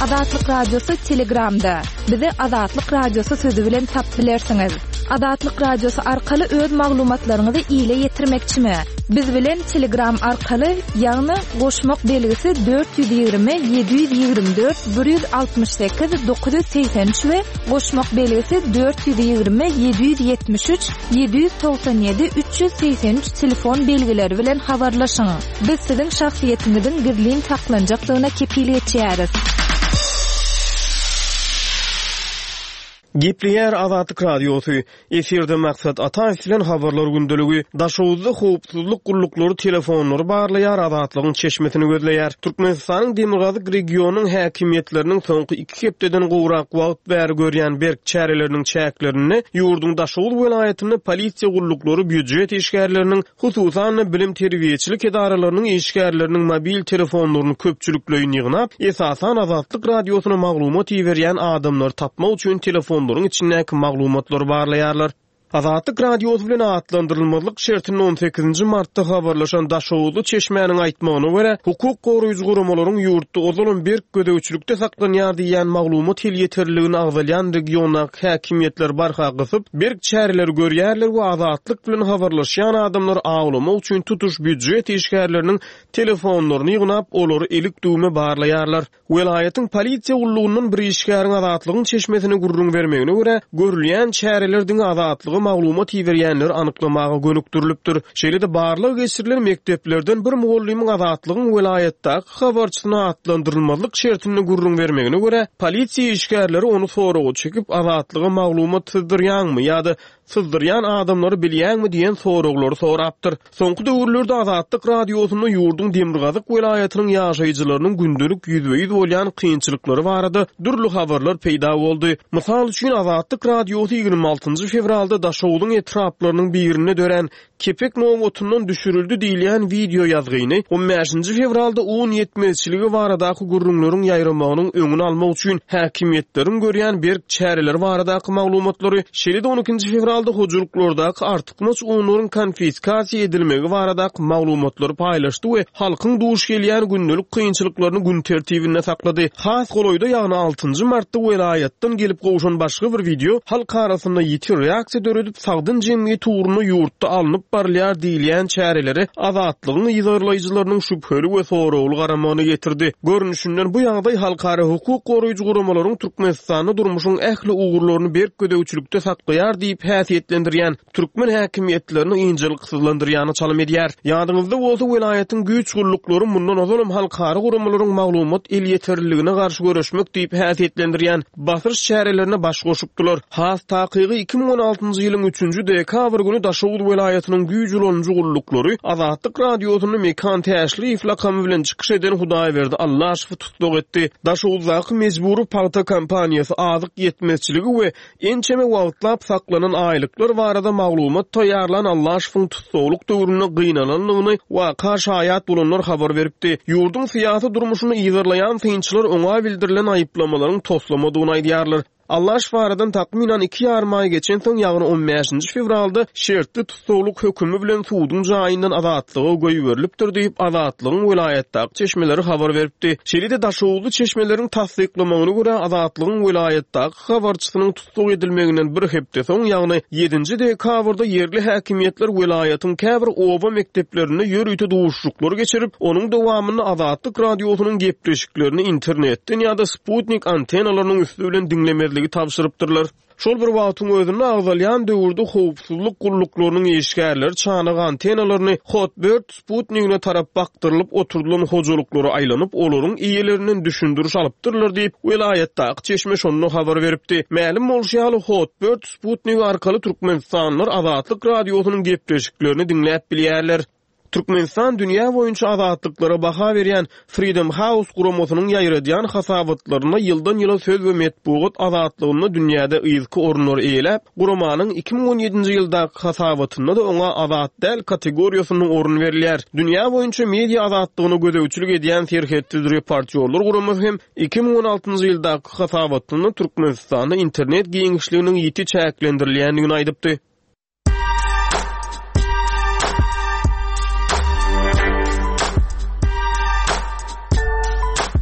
Azatlyk Radiosy Telegramda. Bizi Azatlyk Radiosy sözi bilen tap bilersiňiz. Azatlyk Radiosy arkaly öz maglumatlaryňyzy ile ýetirmekçimi? Biz bilen Telegram arkaly, ýagny goşmak belgisi 420 724 168 983 we goşmak belgisi 420 773 797 383 telefon belgileri bilen habarlaşyň. Biz siziň şahsyýetiňiziň gizlin saklanjakdygyna kepil geçýäris. Gepleýär Azatlyk Radiosy, Efirde Maksat Ataýew bilen Habarlar gündeligi. Daşoguzda howpsuzlyk gulluklary telefonlary barlaýar, Azatlygyň çeşmesini gözleýär. Türkmenistanyň demirgazyk regionynyň häkimiýetleriniň soňky iki hepdeden gowrak wagt bäri görýän berk çäreleriniň çäklerinde ýurduň Daşoguz welaýatynda polisiýa gulluklary býujet işgärleriniň Hususan-da, bilim-terbiýeçilik edaralarynyň işgärleriniň mobil telefonlaryny köpçülikleýin ýygnap, esasan Azatlyk Radiosyna maglumat iberýän adamlary tapmak üçin telefonlaryň içindäki maglumatlary barlaýarlar. Azatlyk Radiosy bilen atlandyrylmazlyk şertinde on sekizinji martda habarlaşan daşoguzly çeşmäniň aýtmagyna görä, hukuk goraýjy guramalaryň ýurtda ozalam berk gözegçilikde saklanýar diýýän maglumat elýeterliligini agzalýan regiondaky häkimiýetler barha gysyp, berk çäreleri görýärler we Azatlyk bilen habarlaşýan adamlary awlamak üçin tutuş býujet işgärleriniň telefonlaryny ýygnap, olary ilik-düwme barlaýarlar. Welaýatyň polisiýa gullugyndan bir işgäriň Azatlygyň çeşmesine gürrüň bermegine görä, görülýän çäreler diňe Azatlyga maglumat iberýänleri anyklamaga gönükdirilipdir. Şeýle-de barlag geçirilen mekdeplerden bir mugallymyň Azatlygyň welaýatdaky habarçysyna atlandyrylmazlyk şertinde gürrüň bermegine görä, polisiýa işgärleri ony soraga çekip, Azatlyga maglumat syzdyrýaňmy ýa-da syzdyrýan adamlary bilýäňmi diýen soraglary sorapdyr. Soňky döwürlerde Azatlyk Radiosynda ýurduň demirgazyk welaýatynyň ýaşaýjylarynyň gündelik ýüzbe-ýüz bolýan kynçylyklary barada dürli habarlar peýda boldy. Mysal üçin, Azatlyk Radiosy 26 fewralda Daşogzuň etraplarynyň birinde dörän Kepek nobatyndan düşürildi diýilýän wideo ýazgyny on bäşinji fewralda un ýetmezçiligi baradaky gürrüňleriň ýaýramagynyň öňüni almak üçin häkimiýetleriň görýän berk çäreleri baradaky maglumatlary, şeýle-de on ikinji fewralda hojalyklardaky artykmaç unlaryň konfiskasiýa edilmegi baradaky maglumatlary paýlaşdy we halkyň duş gelýän gündelik kynçylyklaryny gün tertibinde saklady. Has golaýda, ýagny altynjy martda welaýatdan gelip gowşan başga bir wideo halk arasynda ýiti reaksiýa döredip, sagdyn jemgyýet ugrunda ýurtda alnyp barylýar diýilýän çärelere Azatlygyň yzarlaýjylarynyň şübheli we soragly garamagyna getirdi. Görnüşinden, bu ýagdaý halkara hukuk goraýjy guramalaryň Türkmenistanda durmuşyň ähli ugurlaryny berk gözegçilikde saklaýar diýip häsiýetlendirýän türkmen häkimiýetlerini ynjalyksyzlandyrýana çalym edýär. Ýadyňyzda bolsa, welaýatyň güýç gulluklary mundan ozalam halkara guramalaryň maglumat elýeterliligine garşy göreşmek diýip häsiýetlendirýän basyş çärelerine baş goşupdylar. Has takygy, 2016-njy ýylyň üçünji dekabr güni Daşoguz welaýatynyň güýç ulanyjy gulluklary Azatlyk Radiosynda Mekan Täşliýew lakamy bilen çykyş eden Hudaýberdi Allaşowy tussag etdi. Daşoguzdaky mejbury pagta kompaniýasy azyk ýetmezçiligi we Ençeme wagtlap saklanan aýlyklar barada maglumat taýýarlan Allaşowyň tussaglyk döwründe gynanandygyny waka şaýat bolanlar habar beripdi. Ýurduň syýasy durmuşyny yzarlaýan synçylar oňa bildirilen aýyplamalaryň toslamadygyny aýdýarlar. Allaşow aradan takmynan iki ýarym aý geçensoň, ýagny on bäşinji fewralda şertli tussaglyk hökümi bilen suduň jaýyndan azatlyga goýberilipdir diýip, Azatlygyň welaýatdaky çeşmeleri habar beripdi. Şeýle-de daşoguzly çeşmeleriň tassyklamagyna görä, Azatlygyň welaýatdaky habarçysynyň tussag edilmeginden bir hepde soň, ýagny ýedinji dekabrda ýerli häkimiýetler welaýatyň käbir oba mekdeplerinde ýörite duşuşyklar geçirip, onuň dowamynda Azatlyk Radiosynyň gepleşiklerini internetden ýa-da sputnik antennalarynyň üsti bilen diňlemezligi tabşyrypdyrlar. Şol bir wagtyň özünde, agzalýan döwürde howpsuzlyk gulluklarynyň işgärleri çanak antennalaryny Hotbird sputnigine tarap bakdyrylyp oturdylan hojalyklara aýlanyp, olaryň eýelerinden düşündiriş alypdyrlar diýip, welaýatdaky çeşme şonda habar beripdi. Mälim bolşy ýaly, Hotbird sputnigi arkaly türkmenistanlylar Azatlyk Radiosynyň gepleşiklerini diňläp bilýärler. Türkmenistan dünýä boýunça azatlyklara baha berýän Freedom House guramasynyň ýaýradýan hasabatlarynda ýyldan-ýyla söz we metbugat azatlygynda dünýäde yzky orunlary eýeläp, guramanyň 2017-nji ýyldaky hasabatynda-da oňa azat däl kategoriýasynda orun berilýär. Dünýä boýunça media azatlygyna gözegçilik edýän Serhetsiz reportýorlar guramasy hem 2016-njy ýyldaky hasabatynda Türkmenistanda internet giňişliginiň ýiti çäklendirilýändigini aýdypdy.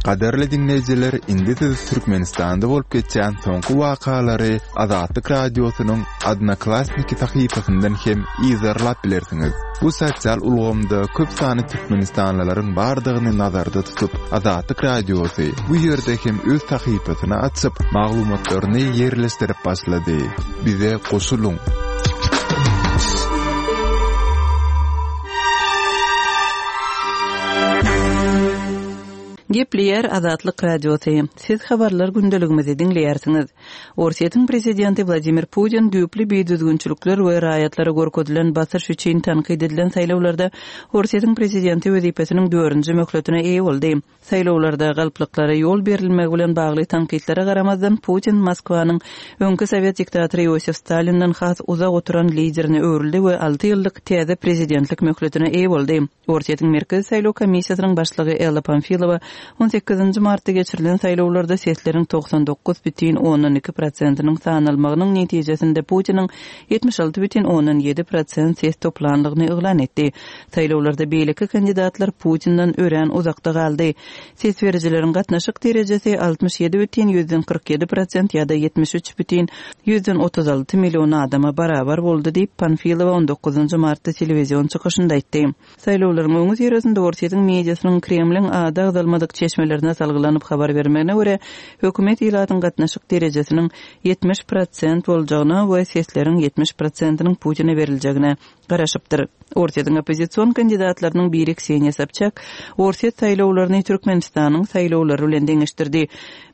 Gadyrly diňleýjiler, indi siz Türkmenistanda bolup geçýän soňky wakalary Azatlyk Radiosynyň Odnoklassniki sahypasyndan hem yzarlap bilersiňiz. Bu sosial ulgamda köp sanly türkmenistanlylaryň bardygyny nazarda tutup, Azatlyk Radiosy bu ýerde hem öz sahypasyny açyp, maglumatlaryny ýerleşdirip başlady. Bize goşulyň! Gepleýär Azatlyk Radiosy. Siz habarlar gündeligimizi diňleýärsiňiz. Orsýetiň prezidenti Wladimir Putin düýpli bidüzgünçilikler we raýatlara görkezilen basyş üçin tankyt edilen saýlawlarda Orsýetiň prezidenti wezipesiniň dördünji möhletine eýe boldy. Saýlawlarda galplyklara ýol berilmegi bilen bagly tankytlara garamazdan, Putin Moskwanyň öňki sowet diktatory Iosif Stalinden has uzak oturan liderine öwrüldi we alty ýyllyk täze prezidentlik möhletine eýe boldy. Orsýetiň Merkezi saýlaw komissiýasynyň başlygy Ella Pamfilowa on sekizinji martda geçirilen saýlawlarda sesleriň 99 bütin ondan 2 prosentiniň sanalmagynyň netijesinde Putiniň 76 bütin ondan ýedi prosent ses toplandygyny yglan etdi. Saýlawlarda beýleki kandidatlar Putinden örän uzakda galdy. Ses berijileriň gatnaşyk derejesi 67 bütin 147 prosent ýa-da 73 bütin 136 million adama barabar boldy diýip, Panfilowa on dokuzynjy martda telewizion çykyşynda aýtdy. Saýlawlaryň öňüsyrasynda Orsýetiň mediasynyň Kremliň ady agzalmadyk çeşmelerine salgylanyp habar bermegine görä, hökümet ilatyň gatnaşyk derejesiniň 70 prosent boljagyna we sesleriň 70 prosentiniň Putine beriljegine garaşypdyr. Orsýetiň oppozision kandidatlarynyň biri Kseniýa Sobçak Orsýet saýlawlaryny Türkmenistanyň saýlawlary bilen deňeşdirdi.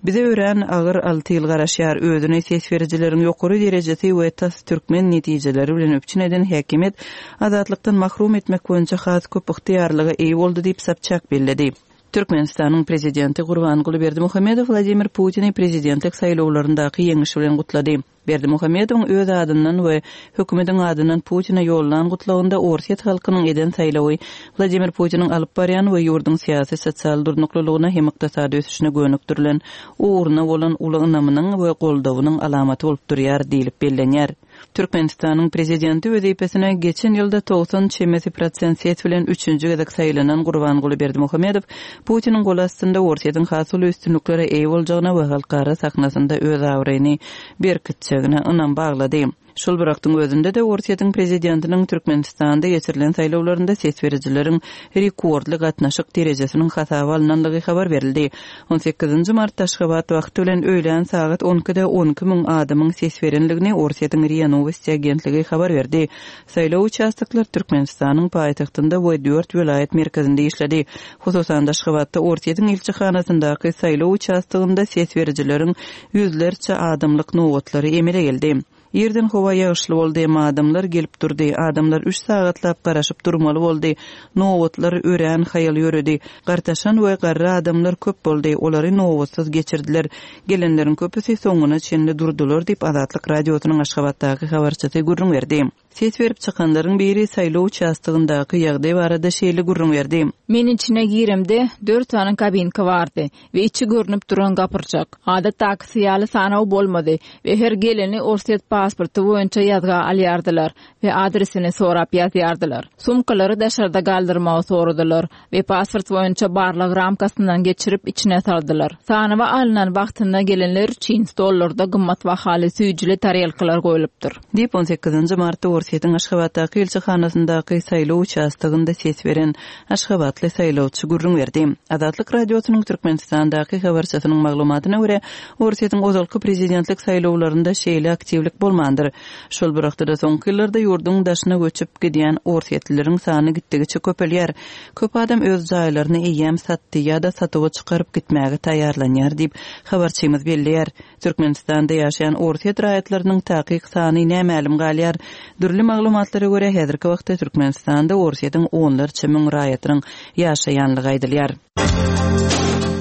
Bize örän agyr alty ýyl garaşýar. Özüni ses berijileriň ýokary derejesi we tas türkmen netijeleri bilen üpjün eden häkimiýet azatlykdan mahrum etmek boýunça has köp ygtyýarlyga eýe boldy diýip, Sobçak belledi. Türkmenistanyň Prezidenti Gurbanguly Berdimuhamedow Wladimir Putini prezidentlik saýlawlaryndaky ýeňişi bilen gutlady. Berdimuhamedowyň öz adyndan we hökümetiň adyndan Putine ýollan gutlagynda orsýet halkynyň eden saýlawy Wladimir Putiniň alyp barýan we ýurduň syýasy-sosial durnuklylygyna hem ykdysady ösüşine gönükdirilen ugruna bolan uly ynamynyň we goldawynyň alamaty bolup durýar diýlip bellenýär. Türkmenistanyň Prezidenti wezipesine geçen ýylda 90 çemesi prosent ses bilen üçünji gezek saýlanan Gurbanguly Berdimuhamedow Putiniň goly astynda Orsýetiň has uly üstünliklere eýe boljagyna we halkara sahnasynda öz abraýyny berkitjegine ynam baglady. Şol bir wagtyň özünde-de, Orsýetiň prezidentiniň Türkmenistanda geçirilen saýlawlarynda ses berijileriň rekordly gatnaşyk derejesiniň hasaba alnandygy habar berildi. On sekizinji martda Aşgabat wagty bilen öýlän sagat on ikide 12 müň adamyň ses berendigini Orsýetiň RIA Nowosti agentligi habar berdi. Saýlaw uçastoklary Türkmenistanyň paýtagtynda we dört welaýat merkezinde işledi. Hususan-da, Aşgabatda Orsýetiň ilçihanasyndaky saýlaw uçastogynda ses berijileriň ýüzlerçe adamlyk nobatlary emele geldi. Irden howa ýagyşly boldy, emma adamlar gelip durdy. Adamlar üç sagatlap garaşyp durmaly boldy. Nobatlar örän haýal ýöredi. Gartaşan we garry adamlar köp boldy, olary nobatsyz geçirdiler. Gelenleriň köpüsi soňuna çenli durdular diýip, Azatlyk Radiosynyň Aşgabatdaky habarçysy gürrüň berdi. Ses berip çykanlaryň biri saýlaw uçastogyndaky ýagdaý barada şeýle gürrüň berdi. Men içine giremde, dört sany kabinka bardy we içi görnüp duran gapyrjak. Adatdakysy ýaly sanaw bolmady we her geleni orsýet pasporty boýunça ýazga alýardylar we adresini sorap ýazýardylar. Sumkalary daşarda galdyrmagy soradylar we pasport boýunça barlag ramkasyndan geçirip içine saldylar. Sanawa alnan wagtynda gelenler üçin stollarda gymmat bahaly süýjüli tarelkalar goýlupdyr. Diýip, on sekizinji martda Orsýetiň Aşgabatdaky ilçihanasyndaky saýlaw uçastogynda ses beren aşgabatly saýlawçy gürrüň berdi. Azatlyk Radiosynyň Türkmenistandaky habarçysynyň maglumatyna görä, Orsýetiň ozalky prezidentlik saýlawlarynda şeýle aktiwlik bolmandyr. Şol bir wagtda-da soňky ýyllarda ýurduň daşyna göçüp gidýän orsýetlileriň sany gitdigiçe köpelýär. Köp adam öz jaýlaryny eýýäm satdy ýa-da satuwa çykaryp gitmäge taýýarlanýar diýip, habarçymyz belleýär. Türkmenistanda ýaşaýan orsýet raýatlarynyň takyk sany nämälim galýar. Dürli maglumatlara görä, häzirki wagtda Türkmenistanda Orsýetiň onlarça müň raýatynyň ýaşaýanlygy aýdylýar.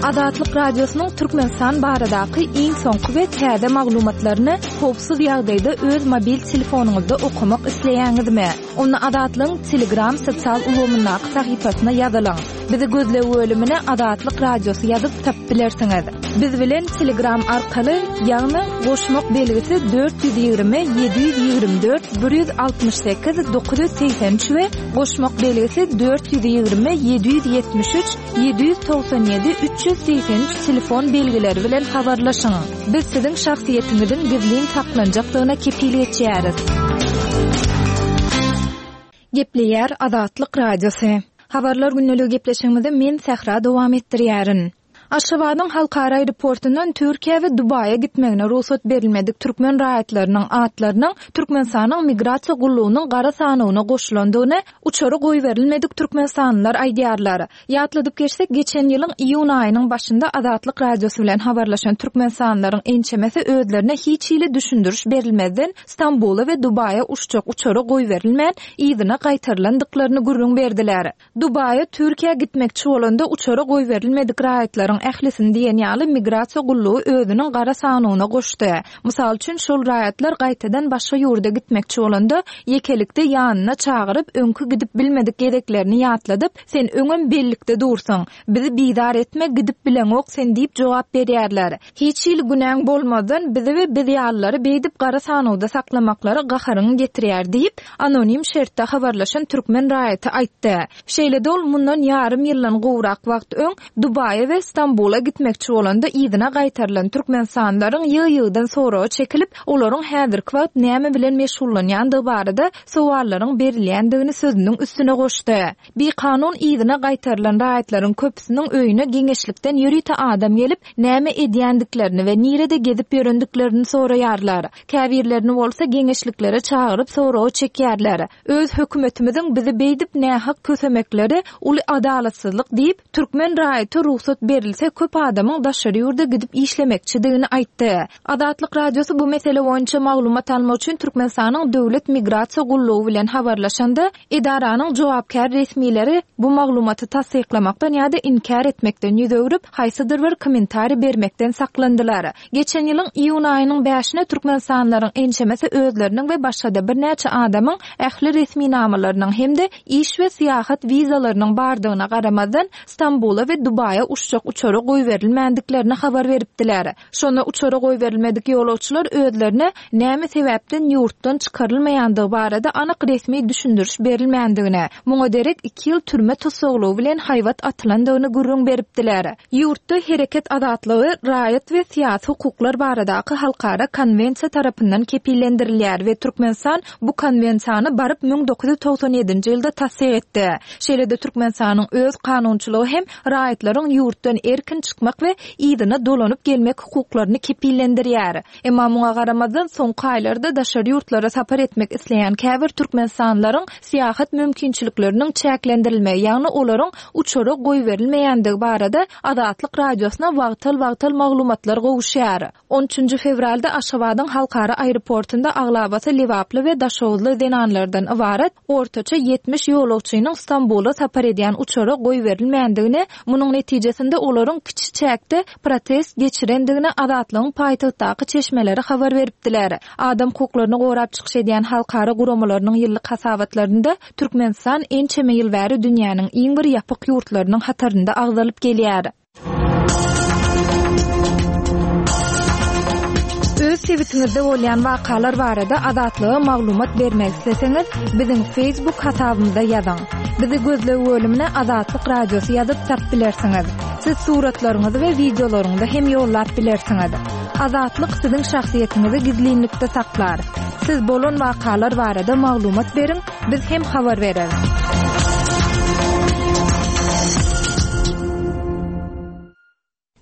Azatlyk Radiosynyň Türkmenistan baradaky iň soňky we täze maglumatlaryny howpsuz ýagdaýda öz mobil telefonyňyzda okamak isleýäňizmi? Onda Azatlygyň Telegram sosial ulgamyndaky sahypasyna ýazylyň. Bizi gözleg bölümine Azatlyk Radiosy ýazyp tapyp bilersiňiz. Biz bilen Telegram arkaly, ýagny goşmak belgisi 420 724 168 983 we goşmak belgisi 420 773 797 383 telefon belgileri bilen habarlaşyň. Biz siziň şahsyýetiňiziň gizlin saklanjakdygyna kepil geçýäris. Gepleýär Azatlyk Radiosy. Habarlar gündeligi gepleşigimizi men Sähra dowam etdirýärin. Aşgabadyň halkara aeroportundan Türkiýä we Dubaýa gitmegine rugsat berilmedik türkmen raýatlarynyň atlarynyň Türkmenistanyň Migrasiýa gullugynyň gara sanawyna goşulandygyny uçara goýberilmedik türkmenistanlylar aýdýarlar. Ýatladyp geçsek, geçen ýylyň iýun aýynyň başynda Azatlyk Radiosy bilen habarlaşan türkmenistanlylaryň ençemesi özlerine hiç hili düşündiriş berilmezden Stambula we Dubaýa uçjak uçara goýberilmän, yzyna gaýtarylandyklaryny gürrüň berdiler. Dubaýa, Türkiýä gitmekçi bolanda uçara goýberilmedik raýatlaryň ählisini diýen ýaly migrasiýa gullugy özüniň gara sanawyna goşdy. Mysal üçin, şol raýatlar gaýtadan başga ýurda gitmekçi bolanda, ýekelikde ýanyna çagyryp, öňki gidip bilmedik gezeklerini ýatladyp, Sen öňem bellikde dursuň. Bizi bizar etme, gidip bileňok sen diýip jogap berýärler. Hiç hili günäň bolmazdan bizi we biz ýalylary beýdip gara sanawda saklamaklary gaharyňy getirýär diýip, anonim şertde habarlaşan türkmen raýaty aýtdy. Şeýle-de ol mundan ýarym ýyldan gowrak wagt öň Dubaýa we Stambula gitmekçi bolanda yzyna gaýtarylan türkmenistanlylaryň ýygy-ýygydan soraga çekilip, olaryň häzirki wagt näme bilen meşgullanýandygy barada sowallaryň berilýändigini sözüniň üstüne goşdy. Bikanun yzyna gaýtarylan raýatlaryň köpüsiniň öýüne geňeşlikden ýörite adam gelip, näme edýändiklerini we nirede gezip ýörendiklerini soraýarlar. Käbirlerini bolsa geňeşliklere çagyryp soraga çekýärler. Öz hökümetimiziň bizi beýdip nähak kösemekleri uly adalatsyzlyk diýip, Türkmen raýaty rugsat berilse köp adamyň daşary ýurda gidip işlemekçidigini aýtdy. Azatlyk Radiosy bu mesele boýunça maglumat almak üçin Türkmenistanyň Döwlet migrasiýa gullugy bilen habarlaşanda, edaranyň jogapkär resmileri bu maglumaty tassyklamakdan ýa-da inkär etmekden ýüz öwrüp, haýsydyr bir kommentariý bermekden saklandylar. Geçen ýylyň iýun aýynyň bäşine türkmenistanlylaryň ençemesi özleriniň we başga-da birnäçe adamyň ähli resminamalarynyň hem-de iş we syýahat wizalarynyň bardygyna garamazdan, Stambula we Dubaýa uçjak uçara goýberilmändiklerini habar beripdiler. Şonda uçara goýberilmedik ýolagçylar özlerine näme sebäpden ýurtdan çykarylmaýandygy barada anyk resmi düşündiriş berilmändigini, muňa derek iki ýyl türme tussaglygy bilen haýbat atylandygyny gürrüň beripdiler. Ýurtda hereket azatlygy Raýat we syýasy hukuklar baradaky halkara konwensiýa tarapyndan kepillendirilýär we Türkmenistan bu konwensiýany baryp 1997-nji ýylda tassyk etdi. Şeýle-de Türkmenistanyň öz kanunçylygy hem raýatlaryň ýurtdan erkin çykmak we yzyna dolanyp gelmek hukuklaryny kepillendirýär. Emma muňa garamazdan, soňky aýlarda daşary ýurtlara sapar etmek isleýän käbir türkmenistanlylaryň syýahat mümkinçilikleriniň çäklendirilmegi, ýagny olaryň uçara goýberilmeýändigi barada Azatlyk Radiosyna wagtal-wagtal maglumatlar gowuşýar. On üçünji fewralda Aşgabadyň halkara aeroportunda aglabasy lebaply we daşoguzly zenanlardan ybarat ortaça 70 ýolagçynyň Stambula sapar edýän uçara goýberilmändigini, munuň netijesinde olaryň kiçi çäkde protest geçirendigini Azatlygyň paýtagtdaky çeşmeleri habar beripdiler. Adam hukuklaryny gorap çykyş edýän halkara guramalarynyň ýyllyk hasabatlarynda Türkmenistan ençeme ýyl bäri dünýäniň iň bir ýapyk ýurtlarynyň hatarynda agzalyp gelýär. Öz sebitiňizde bolýan wakalar barada Azatlyga maglumat bermek isleseňiz, biziň Facebook hasabymyza ýazyň. Bizi gözleg bölümine Azatlyk Radiosy ýazyp tapyp bilersiňiz. Siz suratlaryňyzy we wideolaryňyzy hem ýollap bilersiňiz. Azatlyk siziň şahsyýetiňizi gizlinlikde saklar. Siz bolan wakalar barada maglumat beriň, biz hem habar bereris.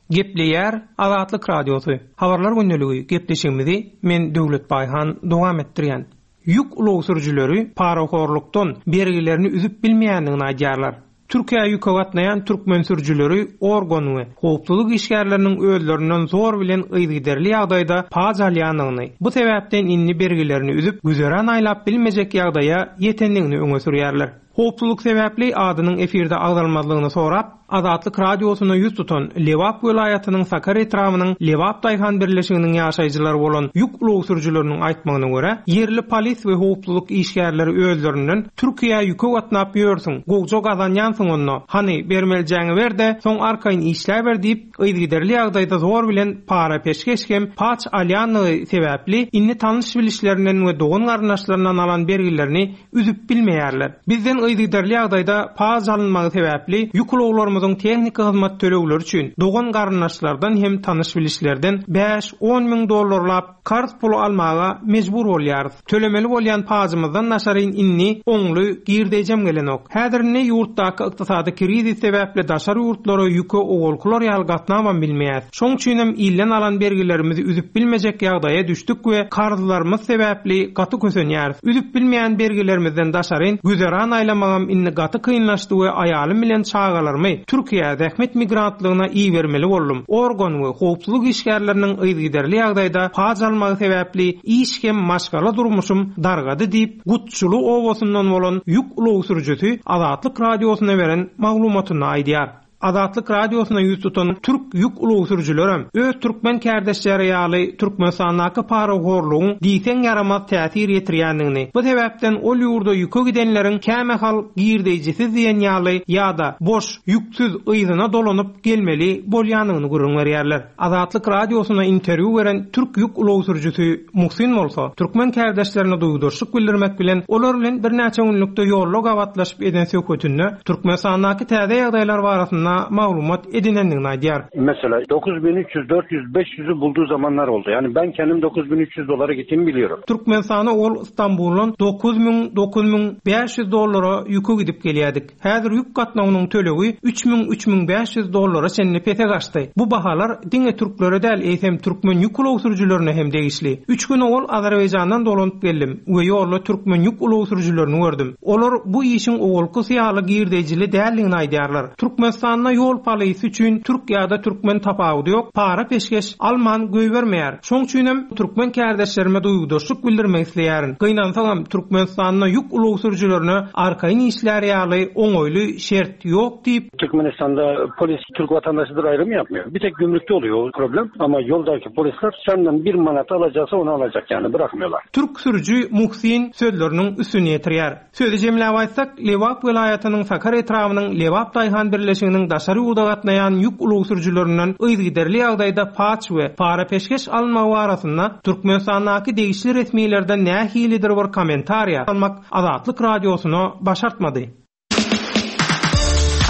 Gepleýär Azatlyk Radiosy, Habarlar gündeligi gepleşigimizi men Döwlet Baýhan dowam etdirýän. Ýük ulag sürüjileri parahorlukdan bergilerini üzüp bilmeýändigini aýdýarlar. Türkiýä ýüke gatnaýan türkmen sürüjileri organ we howpsuzlyk işgärleriniň özlerinden zor bilen yzygiderli ýagdaýda paç alýandygyny, bu sebäpden indi bergilerini üzüp, güzeran aýlap bilmejek ýagdaýa ýetendigini öňe sürýärler. Howpsuzlyk sebäpli adynyň efirde agzalmazlygyny sorap. Azatlyk Radiosyna ýüz tutan Lebap welaýatynyň Sakar etrabynyň Lebap daýhan birleşiginiň ýaşaýjylary bolan ýük ulag sürüjileriniň aýtmagyna görä, ýerli polis we howpsuzlyk işgärleri özlerinden Türkiýä ýüke gatnap ýörsüň, gowja gazanýansyň onda, hany, bermelijäňi ber-de, soň arkaýyn işläber diýip, yzygiderli ýagdaýda zor bilen para-peşgeş hem paç alýandygy sebäpli, indi tanyş-bilişlerinden we dogan-garyndaşlaryndan alan bergilerini üzüp bilmeýärler. Bizden yzygiderli ýagdaýda paç alynmagy sebäpli ýük ulaglarymyzyň tehniki hyzmat tölegleri üçin dogan-garyndaşlardan hem tanyş-bilişlerden bäş-on müň dollarlap karz puly almaga mejbur bolýarys. Tölemeli bolýan pajymyzdan daşaryn indi oňly girdeýjem gelenok. Häzir indi ýurtdaky ykdysady krizis sebäpli daşary ýurtlara ýüke owalkylar ýaly gatnabam bilmeýäs. Şoň üçinem ilden alan bergilerimizi üzüp bilmejek ýagdaýa düşdük we karzlarymyz sebäpli gaty kösenýäris. Üzüp bilmeýän bergilerimizden daşaryn güzeran aýlamagam indi gaty kynlaşdy we aýalym bilen çagalarymy Türkiýä zähmet migrantlygyna ibermeli boldum. Organ we howpsuzlyk işgärleriniň yzygiderli ýagdaýda paç almagy sebäpli iş hem maşgala durmuşym dargady diýip, Gutçuly obasyndan bolan ýük ulag sürüjisi Azatlyk Radiosyna beren maglumatynda aýdýar. Azatlyk Radiosyna ýüz tutan türk ýük ulag sürüjilerem, öz türkmen kärdeşleri ýaly Türkmenistandaky parahorlugyň diýseň ýaramaz täsir ýetirýändigini, bu sebäpden ol ýurda ýüke gidenleriň kämahal girdeýjisiz diýen ýaly ýa-da boş, ýüksüz yzyna dolanyp gelmeli bolýandygyny gürrüň berýärler. Azatlyk Radiosyna interwýu beren türk ýük ulag sürüjisi Muhsin bolsa, türkmen kärdeşlerine duýgudaşlyk bildirmek bilen, olar bilen birnäçe günlükde ýolda gabatlaşyp eden söhbetinde Türkmenistandaky täze ýagdaýlar barasynda maglumat edinendigini aýdýar. Mesela 9300, 400, 500'ü bulduğu zamanlar oldu. Yani ben kendim 9300 dolara gittiğimi biliyorum. Türkmenistana ol Stambuldan 9000, 9500 dollara ýüke gidip gelýärdik. Häzir ýük gatnawynyň tölegi 3000, 3500 dollara çenli pese gaçdy. Bu bahalar diňe türklere däl, eýsem türkmen ýük ulag sürüjilerine hem degişli. Üç gün owal Azerbaýjandan dolanyp geldim we ýolda türkmen ýük ulag sürüjilerini gördüm. Olar bu işiň owalkysy ýaly girdeýjili däldigini aýdýarlar. Türkmenistanda ýol polisi üçin türk ýa-da türkmen tapawudy ýok, para-peşgeş alman goýbermeýär. Şoň üçinem türkmen kärdeşlerime duýgudaşlyk bildirmek isleýärin. Gynansagam, Türkmenistanda ýük ulag sürüjilerine arkaýyn işlär ýaly oňaýly şert ýok diýip, Türkmenistanda polis Türk vatandaşıdır ayrım yapmıyor. Bir tek gümrükte oluyor o problem. Ama yoldaki polisler senden bir manat alacaksa onu alacak yani bırakmıyorlar. Türk sürüji Muhsin sözleriniň üstüni ýetirýär. Sözi jemläp aýtsak, Lebap welaýatynyň Sakar etrabynyň Lebap daýhan birleşiginiň daşary ýurda gatnaýan ýük ulag sürüjilerinden yzygiderli ýagdaýda paç we para-peşgeş alynmagy barasynda Türkmenistandaky degişli resmilerden nähilidir bir kommentariýa almak Azatlyk Radiosyna başartmady.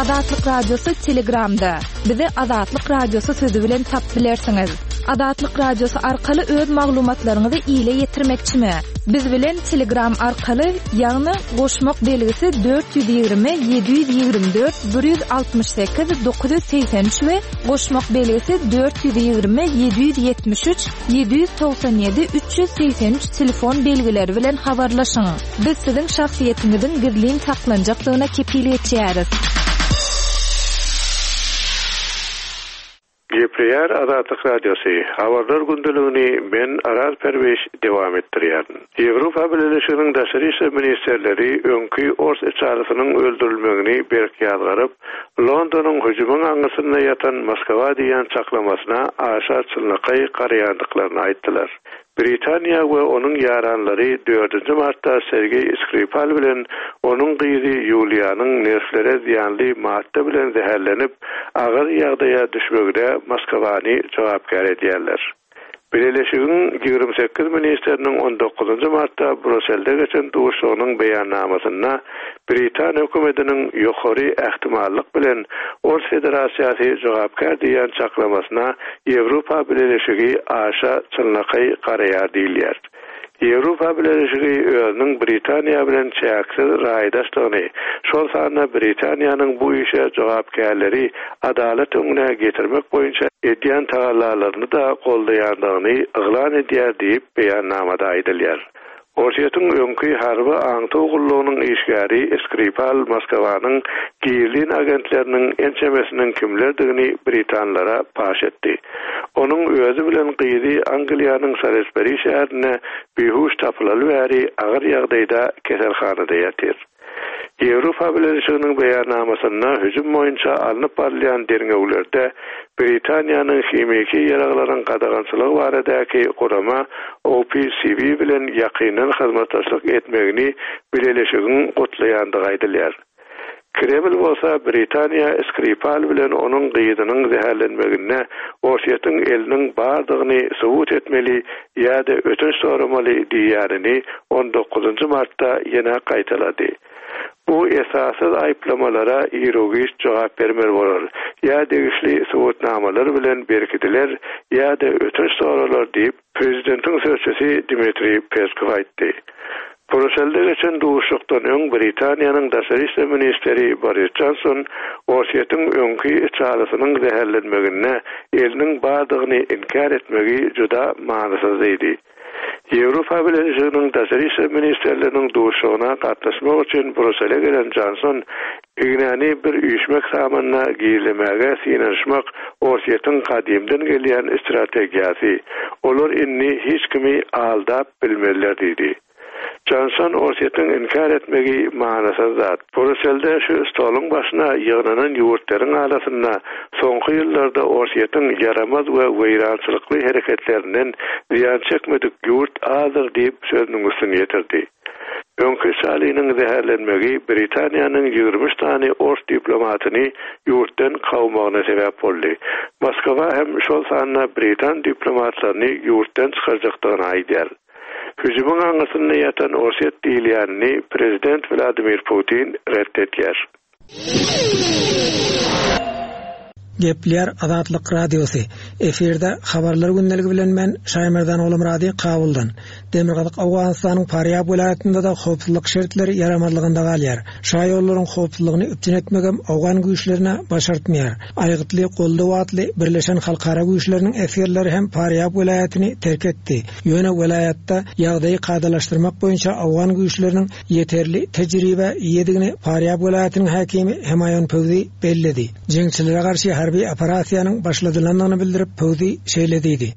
Azatlyk Radiosy Telegramda. Bizi Azatlyk Radiosy sözi bilen tapyp bilersiňiz. Azatlyk Radiosy arkaly öz maglumatlaryňyzy ile ýetirmekçimi? Biz bilen Telegram arkaly, ýagny goşmak belgisi 420 724 168 983 we goşmak belgisi 420 773 797 383 telefon belgileri bilen habarlaşyň. Biz siziň şahsyýetiňiziň gizlin saklanjakdygyna kepil geçýäris. Gepleýär Azatlyk Radiosy, Habarlar gündeligini men Araz Perwiş dowam etdirýärin. Ýewropa Bileleşiginiň daşary işler ministrleri öňki ors içalysynyň öldürilmegini berk ýazgaryp, Londonyň hüjümiň aňyrsynda ýatan Moskwa diýýän çaklamasyna aşa çynlakaý garaýandyklaryny aýtdylar. Britaniýa we onuň ýaranlary dördünji martda Sergeý Skripal bilen onuň gyzy Ýuliýanyň nerwlere zyýanly madda bilen zäherlenip, agyr ýagdaýa düşmegine Moskwany jogapkär edýärler. Bileleşigiň 28 ministriniň on dokuzynjy martda Bruselde geçen duşuşygynyň beýannamasynda Britan hökümetiniň ýokary ähtimallyk bilen Ors Federasiýasy jogapkär diýýän çaklamasyna Ýewropa Bileleşigi aşa çynlakaý garaýar diýilýär. Ýewropa Bileleşigi özüniň Britaniýa bilen çäksiz raýdaşdygyny, şol sanda Britaniýanyň bu işe jogapkärleri adalat öňüne getirmek boýunça edýän tagallalaryny-da goldaýandygyny yglan edýär diýip, beýannamada aýdylýar. Orsýetiň öňki harby aňtaw gullugynyň işgäri Skripal Moskwanyň gizlin agentleriniň ençemesiniň kimlerdigini britanlara paş etdi. Onuň özi bilen gyzy Angliýanyň Salisberi şäherinde bihuş tapylaly bäri agyr ýagdaýda keselhanada ýatyr. Ýewropa Bileleşiginiň beýannamasynda hüjüm boýunça alnyp barylýan derňewlerde Britaniýanyň himiki ýaraglaryň gadagançylygy baradaky gurama OPCW bilen ýakyndan hyzmatdaşlyk etmegini bileleşigiň gutlaýandygy aýdylýar. Kreml bolsa Britaniýa Skripal bilen onuň gyzynyň zäherlenmeginde Orsýetiň eliniň bardygyny subut etmeli ýa-da ötünç soramaly diýýänini on dokuzynjy martda ýene gaýtalady. Bu esassyz aýyplamalara iru-giç jogap bermeli bolar, ýa degişli subutnamalar bilen berkidiler, ýa-da ötünç soralar diýip, prezidentiň sözçüsi Dmitriý Peskow aýtdy. Bruselde geçen duşuşykdan öň Britaniýanyň daşary işler ministri Boris Jonson Orsýetiň öňki içalysynyň zäherlenmeginde eliniň bardygyny inkär etmegi juda manysyz diýdi. Ýewropa Bileleşiginiň daşary işler ministrleriniň duşuşygyna gatnaşmak üçin Brusele gelen Jonson ignäni bir üýşmek samanyna gizlemäge synanyşmak Orsýetiň gadymdan gelýän strategiýasy. Olar indi hiç kimi aldap bilmezler diýdi. Jonson Orsýetiň inkär etmegi manysyz zat. Bruselde şu stoluň başyna ýygnanan ýurtlaryň arasynda soňky ýyllarda Orsýetiň ýaramaz we weýrançylykly hereketlerinden zyýan çekmedik ýurt azdyr diýip sözüniň üstüni ýetirdi. Öňki Şaliniň zäherlenmegi Britaniýanyň 23 sany ors diplomatyny ýurtdan kowmagyna sebäp boldy. Moskwa hem şol sanda britan diplomatlaryny ýurtdan çykarjakdygyny aýdýar. Hüjümiň aňyrsynda ýatan Orsýet diýilýänini prezident Wladimir Putin ret edýär. Gepleýär Azatlyk Radiosy. Efirde Habarlar gündeligi bilen men Şaýmerdan Ogulmyrady Kabuldan. Demirgazyk Owganystanyň Farýab welaýatynda-da howpsuzlyk şertleri ýaramazlygynda galýar. Şaýollaryň howpsuzlygyny üpjün etmegem owgan güýçlerine başartmaýar. Aýgytly goldaw atly birleşen halkara güýçleriniň esgerleri hem Farýab welaýatyny terk etdi. Ýöne welaýatda ýagdaýy kadalaşdyrmak boýunça owgan güýçleriniň ýeterli tejribä eýedigini Farýab welaýatynyň häkimi Hemaýun Pöwzi belledi. Jeňçilere garşy harby operasiýanyň başladylandygyny bildirip, Pöwzi şeýle diýdi.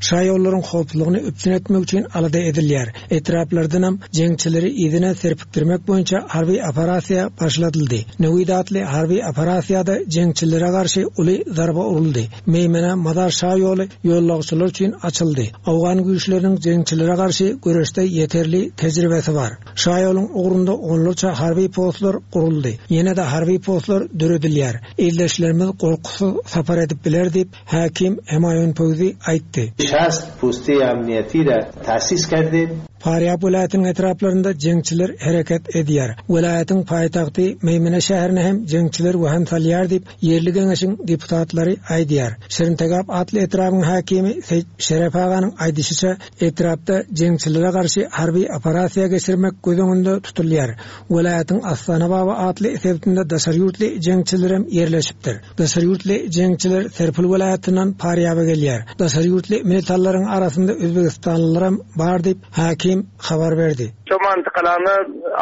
Şaýollaryň howpsuzlygyny üpjün etmek üçin alada edilýär. Etraplardanam jeňçileri yzyna serpikdirmek boýunça harby operasiýa başladyldy. Newid atly harby operasiýada jeňçilere garşy uly zarba uruldy. Meýmene Mazar şaýoly ýollagçylar üçin açyldy. Owgan güýçleriniň jeňçilere garşy göreşde ýeterli tejribesi bar. Şaýoluň ugrunda onlarça harby postlar guruldy. Ýene-de harby postlar döredilýär. Ildeşlerimiz gorkusyz sapar edip biler diýip, häkim Hemaýun Pöwzi aýtdy. Şast posty amniýeti ra tasis kerdim. Farýab welaýatynyň etraplarynda jeňçiler hereket edýär. Welaýatyň paýtagty Meýmene şäherine hem jeňçiler wehim salýar diýip, ýerli geňeşiň deputatlary aýdýar. Şirintegap atly etrabyň häkimi Seýit Şerep aganyň aýdyşyça, etrapda jeňçilere garşy harby operasiýa geçirmek göz öňünde tutulýar. Welaýatyň Astana-Baba atly sebitinde daşary ýurtly jeňçilerem ýerleşipdir. Daşary ýurtly jeňçiler Serpil welaýatyndan Parýaba gelýär. Daşary ýurtly militanlaryň arasynda özbegistanlylaram bar diýip, häkim habar berdi. Şo mantykalany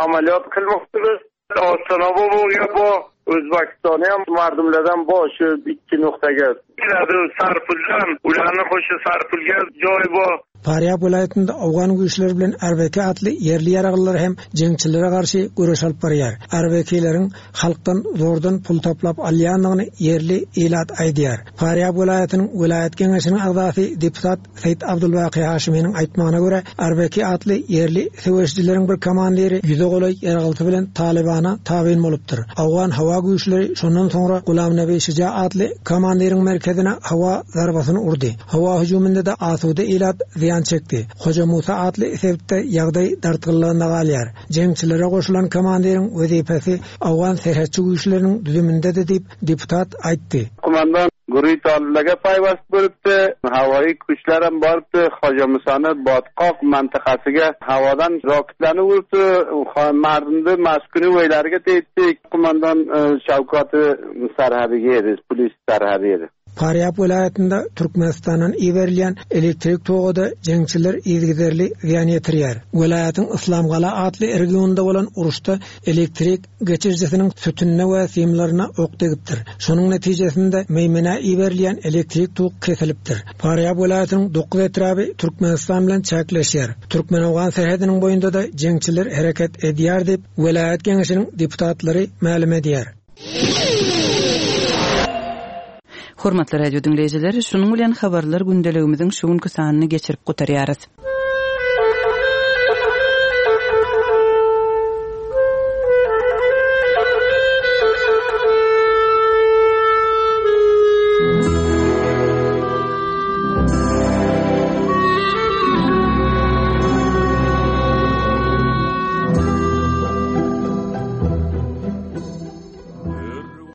amalýot kylmakdyr. Astana-Babaga bo, Özbegistanam mardumlardan bo şu ikki noktaga. Keladi Sarpuldan, ularni qo'sha Sarpulga joy bo. Farýab welaýatynda owgan güýçleri bilen RBK atly ýerli ýaraglylar hem jeňçilere garşy göreş alyp barýar. RBK-leriň halkdan zordan pul toplap alýandygyny ýerli ilat aýdýar. Farýab welaýatynyň welaýat geňeşiniň agzasy deputat Seýit Abdulbaky Haşymynyň aýtmagyna görä, RBK atly ýerli söweşijileriň bir komandiri ýüze golaý ýaraglysy bilen Talybana tabyn bolupdyr. Owgan howa güýçleri şondan soňra Gulamnabi Şija atly komandiriň merkezine howa zarbasyny urdy. Howa hüjüminde-de asuda ilat zyýan çekdi. Hoja Musa atly sebitde ýagdaý dartgynlygynda galýar. Jeňçilere goşulan komandiriň wezipesi owgan serhetçi güýçleriniň düzümindedi diýip, deputat aýtdy. Kumandan Gury talyplaga paýwast bolupdy. Hawaýy güýçlerem barypdy. Hoja Musany botqoq mantykasiga hawadan roketlarni urupdi. Mardumda maskuni weýlariga tegipdi. Kumandan Şawkaty sarhadiga edi, polis sarhady edi. Farýab welaýatynda Türkmenistandan iberilýän elektrik toga-da jeňçiler yzygiderli zyýan ýetirýär. Welaýatyň Yslamgala atly regionynda bolan uruşda elektrik geçirijisiniň sütünine we simlerine ok degipdir. Şonuň netijesinde Meýmenä iberilýän elektrik tok kesilipdir. Farýab welaýatynyň dokuz etraby Türkmenistan bilen çäkleşýär. Türkmen-owgan serhediniň boýunda-da jeňçiler hereket edýär diýip, welaýat geňeşiniň deputatlary mälim edýär. Hormatly radio diňleýjiler, şunuň bilen habarlar gündeligimiziň şu günki sanyny geçirip gutarýarys.